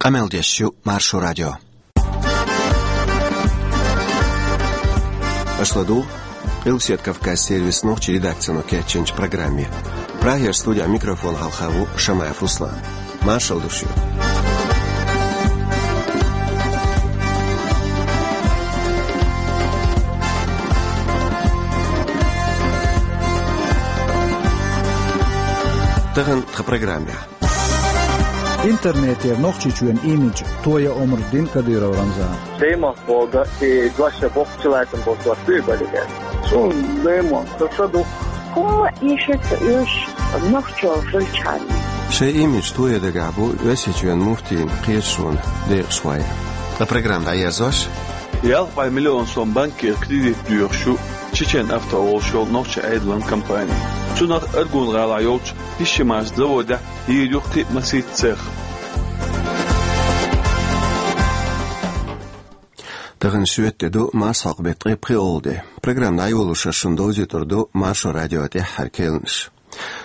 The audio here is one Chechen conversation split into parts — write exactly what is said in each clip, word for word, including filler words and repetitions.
Къамел деш ю Маршо радио. Аша ладугӀу Къилбаседа Кавказ сервисан нохчийн редакцино кечйинчу программе. Прагера студехь микрофон хьалха ву Шамаев Руслан. Маршалла ду шуьга. Тахана тхан программехь. Интернетера Нохчийчоьнан имидж тоян омра дина Кадыров Рамзана. Даймохк боху, и дош боккхачу лаьцна болчу дош дуй бали деш. Цунна даймохк ца ду. ХӀумма эшаца уьш нохчо хилчхьана. Шайн имидж тоян дагахь бу Оьрсийчоьнан муфтийн кхеташонан декъашхой. Ткъа программа дӀаерзош. Ялх бӀе миллион сом банкера кредит доьхуш ю Чечен Авто олуш йолу нохчийн Ӏедалан компани. Цунах Аргун гӀалахь йолчу Ишимаш заводехь йийр ю кхин а масийтта цех. Тахана шоьтан де ду, марсхьокху беттан ткъе пхоьалгӀа де. Программа дӀайолош аса шуна довзуьйтур ду Маршо радион тӀаьххьара керланаш.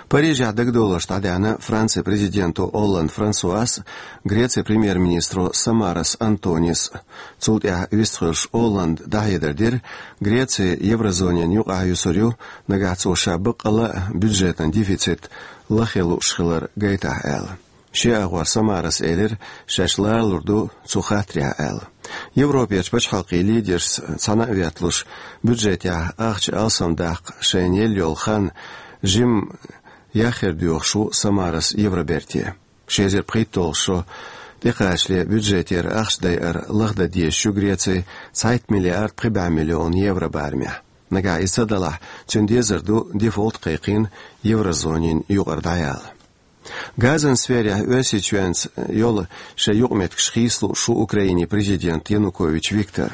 Парижехь дагадовларш дӀадаьхьна Францин президенто Олланд Франсуас а, Грецин премьер-министро Самарас Антонис а. Цул тӀаьхьа вистхуьлуш Олланда дӀахьедар дира, Греци еврозонина юкъахь юьсур ю, нагахь цо ша баккъалла а бюджетан дефицит лахъян лууш хилар гайтахь аьлла. Шен агӀор Самарас элира, шаьш ларалур ду цу хаттарехь аьлла. Европерчу пачхьалкхийн лидершца цхьаьна а ветталуш, бюджетехь ахча алсамдаккха шайна елла йолу хан жимма яхъяр доьхуш ву Самарас Евроберте. Ши эзар пхийтталгӀа шо тӀекхачале бюджетера ахча дайар лахдан дезаш ю Греци цхьайтта миллиард пхи бӀе миллион евро барамехь. Нагахь иза ца далахь, цуьнан дезар ду дефолт кхайкхийна еврозонина юкъара дӀаяла. Газан сферехь Оьрсийчоьнца йолу шайн юкъаметтигаш хийцалууш ву Украинин президент Янукович Виктор.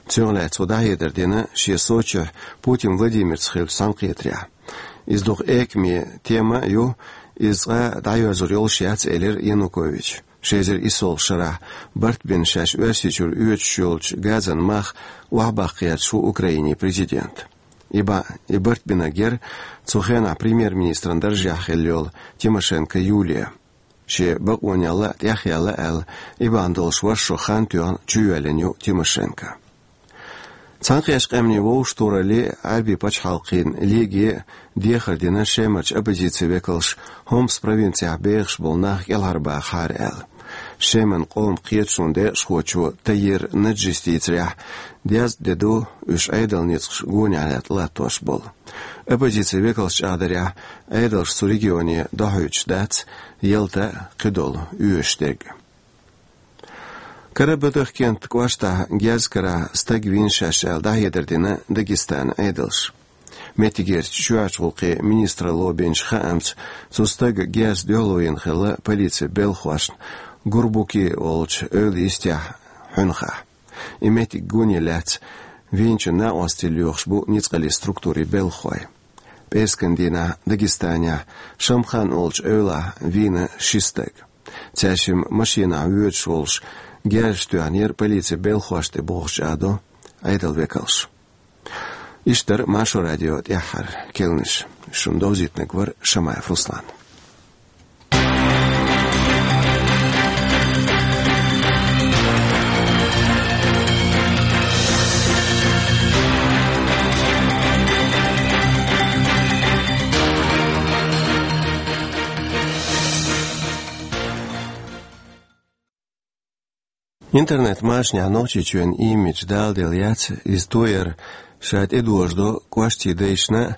Цунах лаьцна цо дӀахьедар дина шен Сочихь Путин Владимирца хиллачу цхьаьнакхетарехь. Иза дукха экаме тема а ю, иза цкъа а дӀайоьрзур йолуш яц, элира Януковича. Ши эзар исолгӀачу шарахь барт бина шаьш Оьрсийчуьра оьцуш йолчу газан мах охьабаккха гӀерташ ву Украинин президент. И ба-, и барт бинарг яра цу хенахь премьер-министран даржехь хилла йолу Тимошенко Юлия. Шен бакъонех а тӀехъяьлла аьлла, и бахьана долуш вайша шо хан тоьхна чуйоьллина ю Тимошенко. Цхьаьнакхеттачу Къаьмнийн Вовшахтохараллин а, Ӏаьрбийн пачхьалкхийн лигин а дехар дина Шемарчу оппозицин векалш Хомс провинцехь бехаш болу нах кӀелхьарбахахьара аьлла. Шеман къоман кхеташонан декъашхочо Таир Наджис дийцарехь, дезткъа де ду уьш Ӏедалан ницкъаш гонехь латта латтош болу. Оппозицин векалша чӀагӀдарехь, Ӏедалша цу регионе дохьуьйтуш дац ялта а, кхидолу оьшуш дерг а. Карабудахкентан кӀоштахь герз карахь стаг вийна шаьш аьлла дӀахьедар дина Дагестанан Ӏедалша. Меттигерчу чоьхьарчу гӀуллакхийн министралло бинчу хаамца, цу стага герз дуьхьало йина хилла полицин белхахошна Гурбуки олучу эвла йистехь Хьуьнхахь. И меттиг гонера лаьцна вийначун накъосталла лоьхуш бу ницкъаллин структурийн белхахой. ПӀераскан дийнахь Дагестанехь Шамхан олучу эвлахь вийна ши стаг. Цаьршимма машенахь воьдуш волуш герзаш тоьхнера полицин белхахошна тӀе бохуш, чӀагӀдо Ӏедалан векалша. Иштта дара Маршо радион тӀаьххьара керланаш. Шуна довзийтинарг вара Шамаев Руслан. Интернет-машанехь Нохчийчоьнан имидж даладелла яц, иза тояр ша тӀедожадо кӀоштийн дайшна а,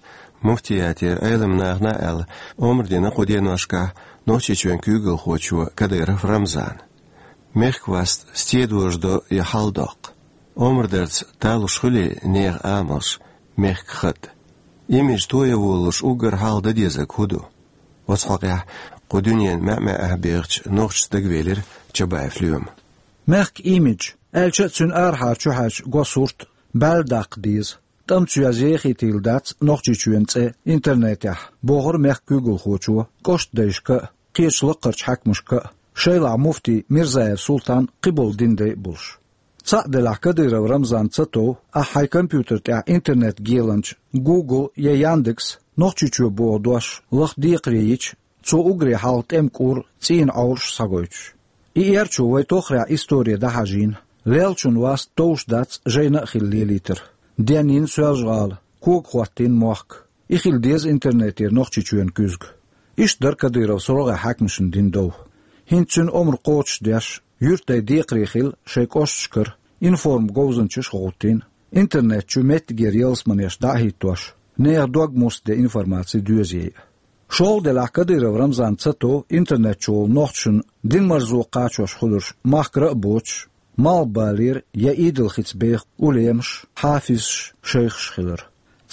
муфтиятера Ӏеламнахана а аьлла, омра дина кху деношкахь Нохчийчоьнан куьйгалхочо Кадыров Рамзана. Мехкан васт стен дожадо и хьал доккху? Омра дарца талуш хуьлий нехан амалш, мехкан хатӀ? Имидж тоян волалуш уггар хьалха дан дезарг хӀун ду? Оцу хьокъехь кху дуьненан маьӀ-маьӀӀехь бехачу нохчашца дагавелира Чабаев Лоьма. Мехкан имидж, аьлча а цуьнан арахьара чухьаьжча го сурт, баьлла даккха деза. ТӀамца йоьзна ехийтийла дац Нохчийчоьнан цӀе интернетехь, бохура мехкан куьйгалхочо, кӀоштдайшка а, кхечу лакхарчу хьаькамашка а, шайлахь муфти Мирзаев Султан, кхиболу динан дай а болуш. Цхьаъ делахь, Кадыров Рамзан ца тов, ахь хьайн компьютер тӀехь интернет геланча Google я Яндекс Нохчийчоь боху дош лаха декхаре йича, цо уггаре хьалха тӀеман кӀур, цӀийнан Ӏовраш схьагойтуш. И эрчо вай тоххарехь истори дӀахьажийна, леллачун васт товш дац жайна а хилла лелийтар. Денйина Соьлжа-ГӀала, кога хӀоттийна мохк. И хила деза интернетера Нохчийчоьнан куьзга. Иштта дара Кадыровс рогӀера хьаькамашна дина дов. ХӀинца цуьнан омра кхочушдеш, юьртдай декхаре хилла шайн кӀошташкара информ-говзанчаш а гӀовттийна, интернет чу меттигера ялсаманеш дӀа а хӀиттош, нехан дог муста де информаци доьзий а. ШолгӀа делахь Кадыров Рамзан ца тов интернет чу волу нохчашна дин марзо кхачош хуьлурш махкара а боцуш, малхбалера я идолхица беха улемаш, хьафизаш, шайхаш хилар.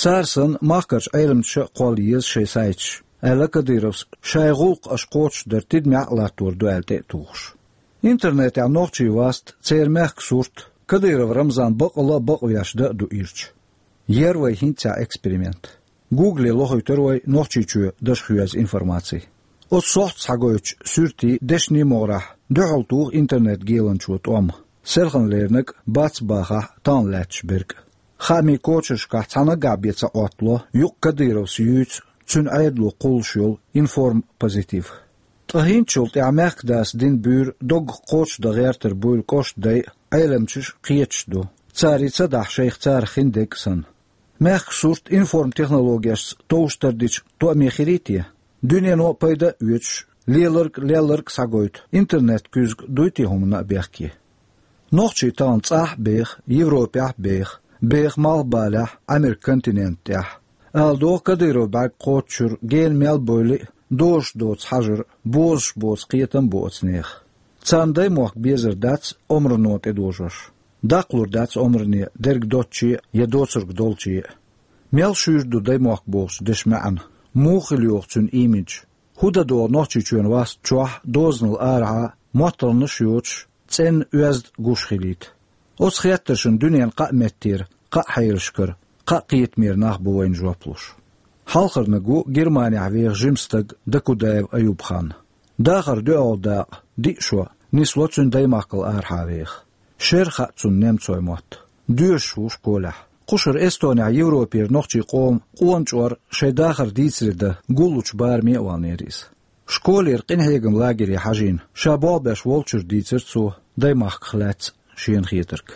Цара санна, махкарчу Ӏеламнаша а кхолла еза шайн сайташ, аьлла Кадыровс, шайн гӀуллакх аша кхочушдар тидамехь а латтор ду аьлла тӀе а тухуш. Интернетехь нохчийн васт, церан мехкан сурт Кадыров Рамзан бакъалла а бакъвеш дан а ду ирча. Яра вай хӀинццехь эксперимент. Гугле лохуьйтура вай Нохчийчоь дашхоьзу информаци. Оцу сохьта схьагойтучу суьртийн, дешнийн могӀарехь дуьхьал туху интернет-геланчо тӀом, селхана леринарг а, бац бахахь, тахана лаьтташ берг а. Хаамийн кочаршкахь цхьа наггахь бен ца Ӏоттало юкъ Кадыровс юьйцу, цуьнан Ӏедало кхуллуш йолу информ-позитив. Ткъа хӀинцачул тӀаьхьа мехкан дас дина буьйра доггах кхочушдан гӀертар буйла кӀоштан дай а, Ӏеламчаш а кхеташ ду. Цара и ца дахь шайх царах хин дерг а санна. Мехкан сурт информ-технологешца товш тардича тоьаме хирий те? Дуьнено а пайда а оьцуш, леларг а, лелларг а схьагойту интернет-куьзга дуй те хӀуманна а бехке? Нохчий тахана цӀахь а беха, Европехь а беха, беха малхбалехь, Ӏамеркан континент тӀехь. Ала догӀу, Кадыров бӀаьрг кхочучуьра гена мел бевлли а, дозуш доцу хьажар, бозуш боцу кхетам а бу оцу нехан. Царна даймохк безар дац омрано тӀедожош. Даккхалур дац омране дерг доцче а я доцург долче а. Мел шуьйра ду даймохк бохучу дешан маьӀна, муха хила йогӀу цуьнан имидж? ХӀун дан догӀу Нохчийчоьнан васт чохь а, дозанал арахьа а, моттаргӀанаш а йоцуш, цӀенна, оьзда гуш хилийта? Оцу хеттаршна дуьненан кхаа меттера, кхаа хьелашкара, кхаа кхетамера нах бу вайна жоп луш. Хьалхарниг ву Германехь веха жима стаг Дакудаев Аюбхан. Дахаран доьалгӀа дакъа, диъ шо, нисло цуьнан даймахкал арахьа веха. Шера хаьа цунна немцойн мотт. Доьшуш ву школехь. Кхушара Эстонехь Европера нохчийн къоман къона чкъор шайн дахар дийцаре дан гуллучу бараме а ваханера иза. Школера къинхьегаман лагере хьажийна, ша болх беш волчуьра дийцира цо даймахках лаьцна шена хетарг.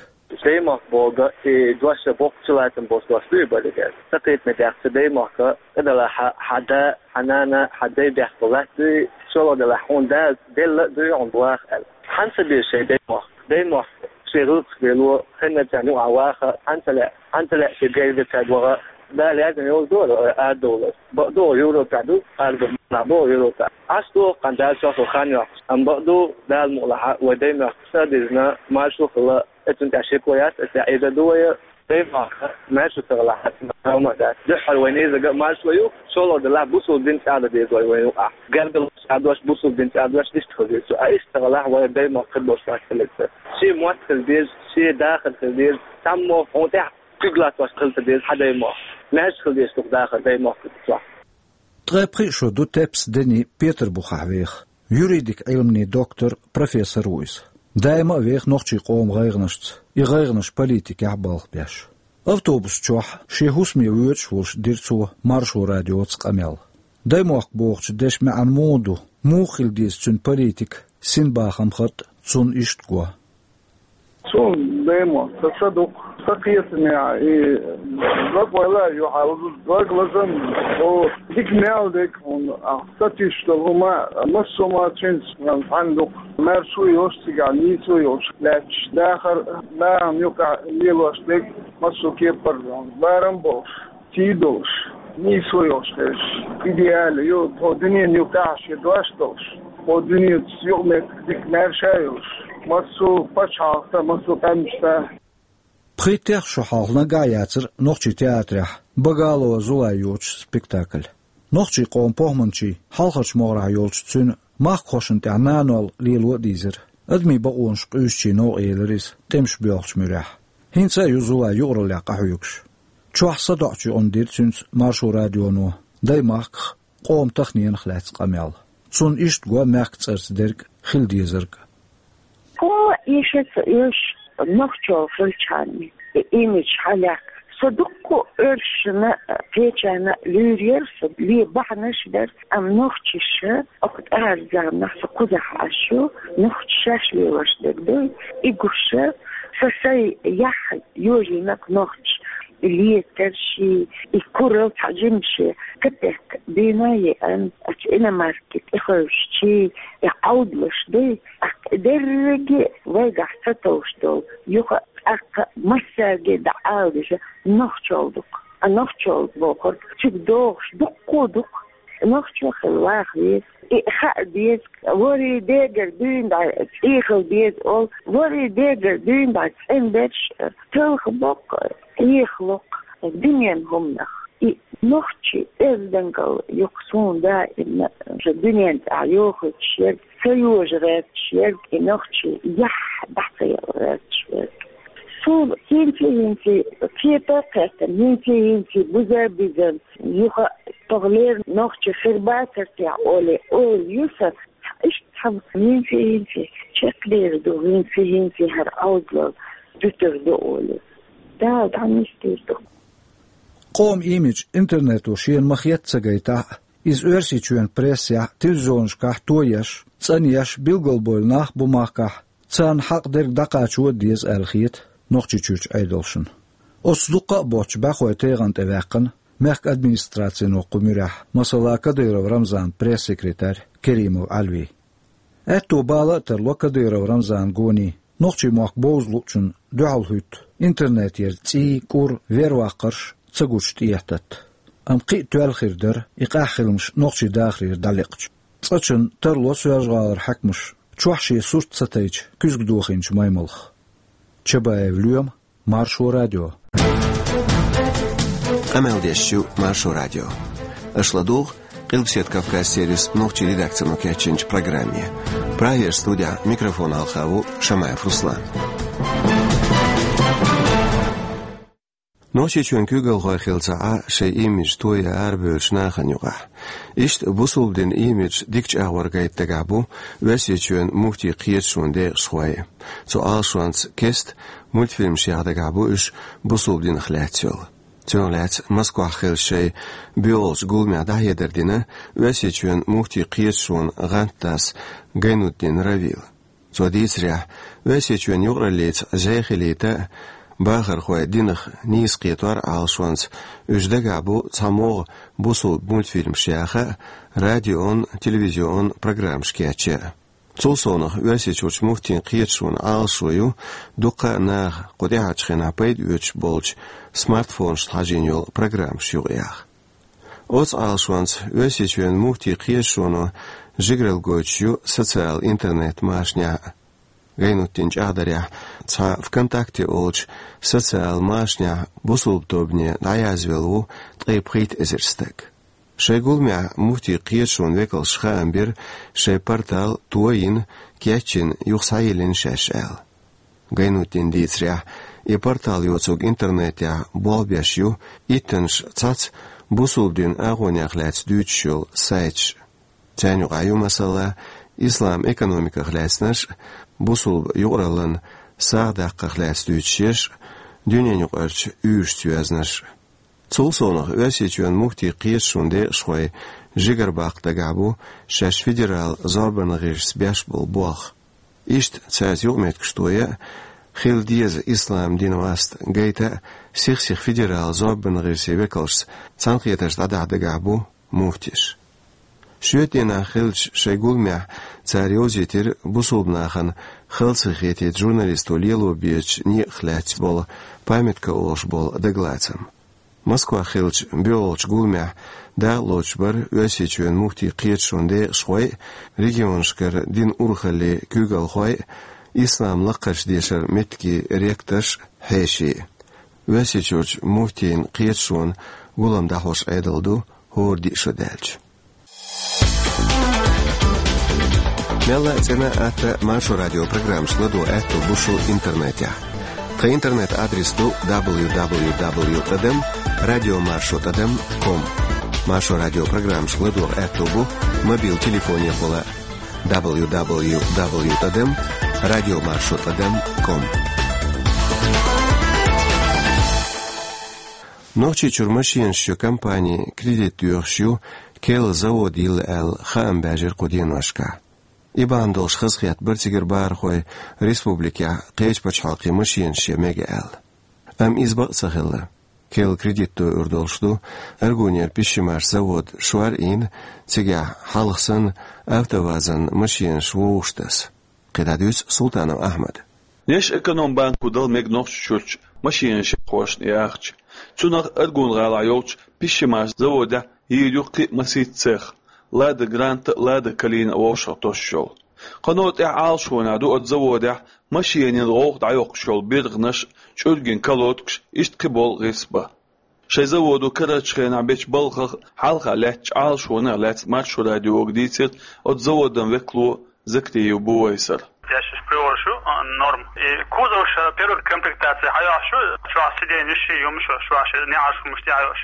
Даймахка бохург и дош боккха чулацам болуш дош ду и бара. Сан кхетаме тӀехь цу даймахка тӀедалахь хьан да, хьан нана, хьан дай бехк латтадо, шолгӀа делахь хьуна Дала делла а дуй хьуна ваха аьлла. Хьан ца беза шайн даймохк? Даймохк шен гӀиллакхаш лело, хеннарчарна юкъахь ваха, хьан ца лаьа, хьан ца лаьа шен гергарчарна ваха? Дала яздина йолу ду арадовлар. Бакъду, Европехь ду, арадовлар бу Европехь. Ӏаш ду, кхана Дала чохь хан йоккхуш. Амма бакъду, Дала мукъалахь, вай даймохк са а дизна, маршо а хилла, оцунна тӀехь шеко яц, оцу тӀехь Ӏийр ду вай, даймохк маршо ца хилахь, хӀума а дац. Дуьххьара вайн низага а маршо ю, шолгӀа делахь бусулба дин чӀагӀдан деза вай вайн юкъахь. Гаргаллаш а дош, бусулба дин чӀагӀдош иштта хила деза. А иштта ца хилахь, вай даймохк хир болуш вац хиларца. Шен мотт хила деза, шен дахар хила деза, цхьаммо хьуна тӀехь куьг латтош хила ца деза хьан даймохк. Маьрша хила деза шух дахар даймохк чохь. Ткъе пхиъ шо ду Тепса Дени Петарбухехь веха, юридик Ӏилманийн доктор, профессор ву иза. Даима а веха нохчийн къоман гӀайгӀанашца, и гӀайгӀанаш политикехь балха беш. Автобус чохь шен хӀусаме воьдуш волуш дира цо Маршо радиоца къамел. Даймохк бохучу дешан маьӀна муха ду, муха хила деза цуьнан политика, синбахам, хатӀ цунна иштта го. Цунна даймохк сан са дукха, сан кхетамехь и дог вайла а ю хьал, дог лазам бу, дика мел дерг хьуна, ахь сатуьйсуш долу хӀума массо а ма цуьнца цхьаьна дукха. Маьршо а йолуш цигахь, нийсо а йолуш лаьтташ, дахар, нахана юкъахь лелош дерг массо а кепара барам а болуш, сий долуш, нийсо йолуш хезаш, идеально ю, тхо дуьненан юкъахь шен дош долуш, тхо дуьненца юкъаметтиг дика маьрша а йолуш, массо а пачхьалкхашца, массо а къаьмнашца. Пхийтта шо хьалха наггахь а яцара нохчийн театрехь Багалова Зулай йоцуш спектакль. Нохчийн къоман похӀманчийн хьалхарчу могӀарехь йолчу цуьнан махкахошна тӀехь нанол лело а дийзира. Адамийн бакъонаш къуьйсучийн новкъа елира иза тӀемаш боьлхучу муьрехь. ХӀинца а ю Зулай юкъараллехь къахьоьгуш. Чохь садоӀучу юкъана дира цуьнца Маршо радионо даймахках, къоман таханенах лаьцна къамел. Цунна иштта го мехкан цӀарца дерг, хила дезарг. О, и шеца уьш нохчо хилчхьана, и имидж хьалаьхкина. Со дуккха а оьрсашна, кхечарна луьйр яра со, ле бахьанаш а бара, амма нохчаша, оха тӀаьхьарчу заманахь со кхузахь Ӏаш ю, нохчаша шаьш лелош дерг ду, и гуш, со сайн яхь йожийнарг нохча, и летарш, и курал цхьа жимма шен капек дийна а еана, оцу иномарке тӀехуьлуш чий, и Ӏовдалаш дуй, тӀаккха и дерриге вайгахь ца товш долу, юха а тӀаккха массаьрга а дӀаала деза нохчалла ду-кх. А нохчалла бохург цига догӀуш дуккха а ду-кх. Нохчо хила ваха веза. И хаа деза, ворхӀе дегара дуьйна дӀа цӀий хила деза олу, ворхӀе дегара дуьйна дӀа цӀена берш талхабо-кх, хьехало-кх дуьненан хӀуманах. И нохчийн оьздангалла юкъа суна даимна дуьнен тӀехь йохуьйтуш ерг, ца йожа гӀерташ ерг, и нохчийн яхь дӀа ца яла гӀерташ ерг. Суна хӀинца-хӀинца кхета а кхеттина, хӀинца-хӀинца буза а бизина, юха а тохлера нохча хир бацара техьа олий, ойла ю сан, иштта цхьа хӀинца-хӀинца чекхдер ду, хӀинца-хӀинца хӀара Ӏовдалалла дуьтур ду олий. Дала дӀанисдийр ду. Къоман имидж интернето шена ма-хетта ца гайтахь а, иза Оьрсийчоьнан прессехь, телевизионашкахь тоеш, цӀанъеш, билгалбевлла нах бу махкахь, царна хьакъ дерг дӀакхачо а деза аьлла хета Нохчийчуьрчу Ӏедалшна. Оцу дуккха а боцчу бӀаьхойн тайгӀан тӀе ваьккхина мехкан администрацино кху муьрехь, масала, Кадыров Рамзанан пресс-секретарь Керимов Ӏалви. Аьтто бала а тарло Кадыров Рамзанан гоний, нохчийн мохк бовза луучунна дуьхьал хӀуьтту интернетера цӀий, кӀур, верваккхарш ца гучу тӀехӀоттатта. Амма кхин а тоьлла хир дара и къаьхьа хиламаш нохчийн дахарера дӀалекхча. Цкъачунна тарло Соьлжа-ГӀалара хьаькамаш чохь шен сурт ца тайча куьзга дохийначу маймалх. Чабаев Лоьма, Маршо радио. Къамел деш ю Маршо радио. Аша ладугӀу Къилбаседа Кавказ сервисан нохчийн редакцино кечйинчу программе. Прагера студехь микрофон хьалха ву Шамаев Руслан. Нохчийчоьнан куьйгалхой хилла ца Ӏа шайн имидж тоян арабевллачу нахана юкъахь. Иштта бусулба динан имидж дикачу агӀор гайта дагахь бу Оьрсийчоьнан муфтийн кхеташонан декъашхой. Цу Ӏалашонца кеста мультфильмаш яха дагахь бу уьш бусулба динах лаьцна йолу. Цунах лаьцна Москвахь хиллачу шайн боьалгӀачу гуламехь дӀахьедар дина Оьрсийчоьнан муфтийн кхеташонан гӀантдас Гайнутдин Равила. Цо дийцарехь, Оьрсийчоьнан юкъараллица зӀе хилийта а, бахархой динах нийса кхетор а Ӏалашонца уьш дагахь бу цхьа могӀа бусулба мультфильмаш яха а, радион, телевизион программаш кечъян а. Цул совнаха Оьрсийчуьрчу муфтийн кхеташонан Ӏалашо ю дуккха а наха кху тӀаьхьарчу хенахь пайда оьцуш болчу смартфонашна хьажийна йолу программаш юкъаяха. Оцу Ӏалашонца Оьрсийчоьнан муфтийн кхеташоно жигаралла гойтуш ю социал интернет-машанехь а. Гайнутдинан чӀагӀдарехь, цхьа ВКонтакте олучу социал машанехь бусулба тобане дӀаязвелла ву ткъе пхийтта эзар стаг. Шайн гуламехь муфтийн кхеташонан векалша хаам бира, шайн портал тоийна, кечйина, юха схьайиллина шаьш аьлла. Гайнутдинан дийцарехь, и портал йоцург интернетехь болх беш ю, иттаннаш цхьацца бусулба динан агӀонех лаьцна дуьйцуш йолу сайташ. Царна юкъахь ю, масала, ислам экономиках лаьцнарш а, бусулба юкъараллин сагӀа даккхарх лаьцна дуьйцуш ерш а, дуьненаюкъарчу уьйрашца йоьзнарш а. Цул совнаха Оьрсийчоьнан муфтийн кхеташонан декъашхой жигара баккха дагахь бу шаьш федерал зорбанан гӀирсаца беш болу болх. Иштта цаьрца юкъаметтигаш тоя а, хила деза ислам динан васт гайта а сих-сиха федерал зорбанан гӀирсийн векалшца цхьаьнакхетарш дӀадахьа дагахь бу муфтиша. Шоьтан дийнахь хиллачу шайн гуламехь цара йовзийтира бусулба нахана хала ца хетийта журналисто лело безачу некъах лаьцна болу памятка олуш болу дагалацам. Москвахь хиллачу боьалгӀачу гуламехь дакъалоцуш бара Оьрсийчоьнан муфтийн кхеташонан декъашхой а, регионашкара динан урхаллийн куьйгалхой а, ислам лакхарчу дешаран меттигийн ректорш а, хьеший а. Оьрсийчуьрчу муфтийн кхеташонан гулам дӀахьош Ӏедал ду хӀора диъ шо даьлча. Мелла а цӀена а, атта а Маршо радион программаш ладогӀа аьтто бу шун интернетехь. Тхан интернет-адрес ду дабл ю дабл ю дабл ю тӀадам радиомаршо тӀадам ком. Маршо радион программаш ладогӀа аьтто бу мобил телефонехула дабл ю дабл ю дабл ю тӀадам радиомаршо тӀадам ком. Нохчийчуьра машенаш йо компани кредит доьхуш ю, керла завод йилла аьлла, хаам баьржира кху деношкахь. И бахьана долуш хазахетта бара цигара бахархой республикехь кхечу пачхьалкхийн машенаш ян мега аьлла. Амма иза бакъ ца хилла. Керла кредит дойур долуш ду Аргунера пищемаш завод шор а йина, цигахь хьалха санна АвтоВАЗан машенаш вовшах таса. КхидӀа дуьйцу Султанов Ахьмада. Леш Экономбанко дала мега Нохчийчуьрчу машенаш яххошна и ахча. Цунах Аргун-гӀалахь йолчу пищемаш заводехь йийр ю кхин а масийтта цех, Лада Гранта а, Лада Калина а вовшах тосуш йолу. Кхано тӀаьхьа Ӏалашонехь ду оцу заводехь машенийн гӀовгӀа дӀайоккхуш йолу биргӀанаш, чӀуьргин колодкаш, иштта кхин болу гӀирс бан. Шайн заводо карарчу хенахь бечу балхах хьалха лаьттачу Ӏалашонех лаьцна Маршо радиога дийцира оцу заводан векало Закриев Бувайсар. Дешаш приораш ю, а, норм. И кузовш, а, первый комплектация хьайохьуш ю, чохь сиденьеш, юмаш, чохь неӀарш хӀумаш тӀехьайохьуш.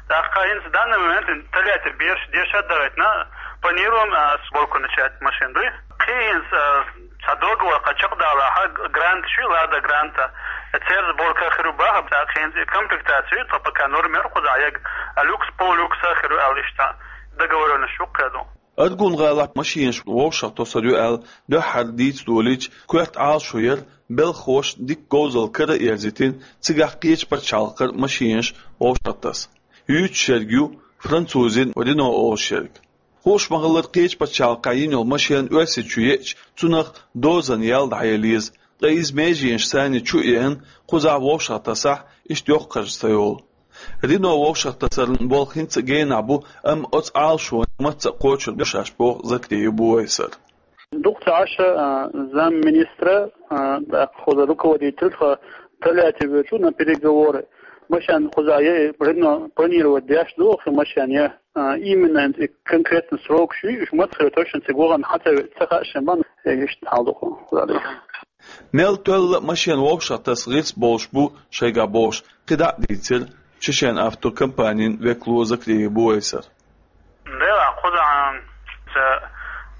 ТӀаккха хӀинца данный момент Тольятти бераш деша а дагайтина, планируем, а, сборку начать машин дуй. Кхин хӀинца, а, цхьа договор кхачакх далахь, г-, грант шу, Лада Гранта. Церан сборка хир ю баха, тӀаккха хӀинца и комплектация ю, тхо пока норм яр кхузахь ег, а, люкс, полулюкс а хир ю аьлла иштта. Договорённость ю кхедо. Аргун-гӀалахь машенаш вовшах тосур ю аьлла, дуьххьара дийца долийча, коьрта Ӏалашо яра, белхахошна дика говзалла кара а ерзийтина, цигахь кхечу пачхьалкхара машенаш вовшах таса. Юьйцуш ерг ю французийн Рено олуш ерг. Хууш ма-хиллара, кхечу пачхьалкхехь йина йолу машен Оьрсийчу еъча, цунах дозан ял дӀаяла еза, ткъа иза меженаш санна чу а еана, кхузахь вовшах тасахь, иштта йоккха харж ца йолу. Рено вовшах тасаран болх хӀинца а генахь бу, амма оцу Ӏалашонах мацца а кхочур ду шаьш, боху Закриев Бувайсар. Дукха ца Ӏаш, а, замминистра, а, тӀаккха хӀуза руководитель тхо Тольятти воьду на переговоры. Машен кхузахь я, Рено планировать деш ду, хи машен я, а, именно и конкретно срок шу, уьш мацца хир точно цига вахана хьан ца ве-, ца хаьа шен бан, э, иштта хьал ду хӀу. Мел тоьлла а машен вовшах таса гӀирс болуш бу шайгахь бохуш, кхидӀа а дийцира Чечен-Авто компанин векало Закриев Бувайсар. Делахь, кхузахь, ца,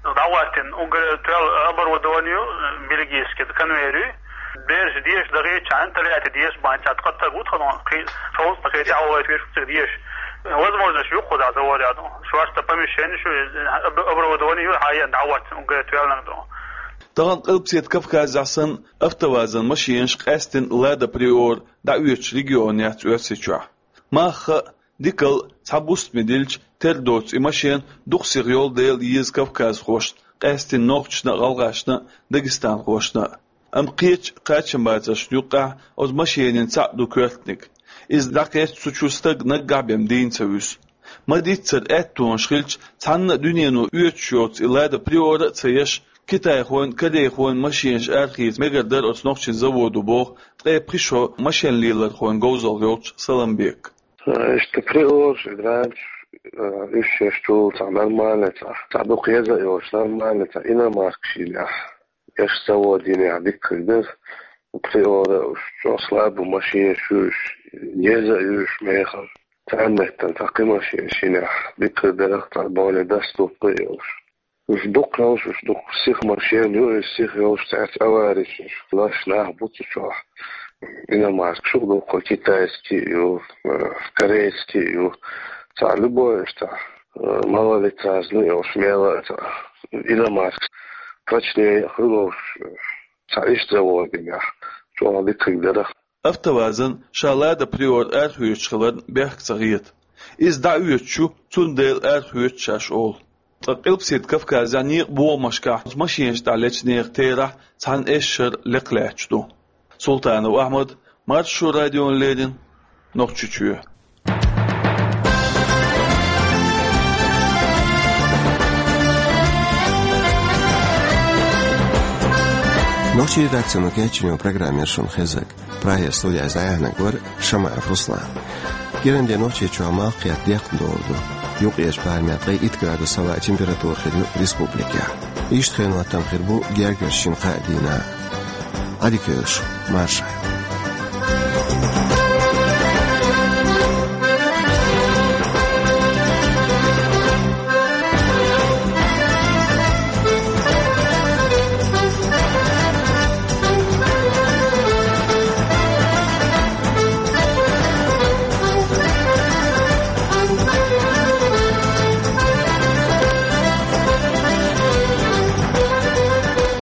дӀахӀоттийна уггар тоьлла оборудование ю, бельгийский конвейер ю, бераш деша дагӀийчхьана, Тольятти деша бан цхьа ткъа стаг ву тхуна, кхин, совцӀа кхин тӀаьхьа вахийта веш ву цига деша. Возможность ю кхузахь заводехь ду. Шорта помещение шу, об-, оборудование ю, хьан дӀахӀоттийна уггар тоьлланиг ду. Тахана Къилбаседа Кавказехь санна, АвтоВАЗан машенаш, къаьсттина Лада Приора, дӀаоьцуш регион яц Оьрсийчохь. Мах а, дикал а цхьа бустаме дилча, тера доцу и машен дукха сиха йолу дела еза кавказхошна, къаьсттина нохчашна а, гӀалгӀашна а, дагестанхошна а. Амма кхечу кхачамбацаршна юккъехь оцу машенийн цхьаъ ду коьртаниг. Иза дӀакхетча, цу чу стаг наггахь бен дийна ца вуьсу. Ма-дийццара, аьттонаш хилча, цхьанна а дуьнено оьцуш йоцу и Лада Приора а ца еш, китайхойн, корейхойн машенаш арахийца мегар дара оцу нохчийн заводо, боху ткъе пхи шо машен лелорхойн говзалла йолчу Саламбека. Иштта Приораш, и Гранташ, уьш шаьш чул цхьа нормальный, цхьа, цхьа дукха еза а йолуш, нормальный, цхьа иномарка шинехь, эш завод йинехь дикка дара. Приора уьш чӀогӀа слабый машенаш ю уьш, еза а ю уьш мехала. Царна меттана цхьа кхин машен шинехь дикка дара, цхьа более доступный йолуш. Уьш дукха йолуш, уьш дукха сиха машен ю, и сиха йолуш цаьрца авариш, уьш лаш нах бу цу чохь. Иномаркаш ю дукха, китайский ю, э, корейский ю. Цхьа любой уьш цхьа, э, малолитражный йолуш мела а цхьа иномаркаш. Прочнее хуьлуш, э, цхьа иштта завод йинехь, чӀогӀа дикка дара. АвтоВАЗан ша Лада Приора арахоьцуш хиларна бехк ца хета. Иза дӀаоьцуш ю, цундела арахоьцу шаьш олу. Ткъа Къилбаседа Кавказехь некъан бохамашкахь оцу машенаш тӀехь лечу нехан терахь цхьана эшшара лекха лаьтташ ду. Султанов Ахьмад, Маршо радиона леррина, Нохчийчоь. Нохчийн редакцино кечйина программа яра шуна хезнарг. Прагера студехь дӀаяьхьнарг вара Шамаев Руслан. Кху дийнахь Нохчийчохь малх кхетта декхна долу ду. Юккъерчу барамехь ткъе итт градус хилла температура хир ю республикехь. Иштта хенан хӀоттам хир бу гергарчу шина-кхаа дийнахь. Ӏадика йойла шу, марша.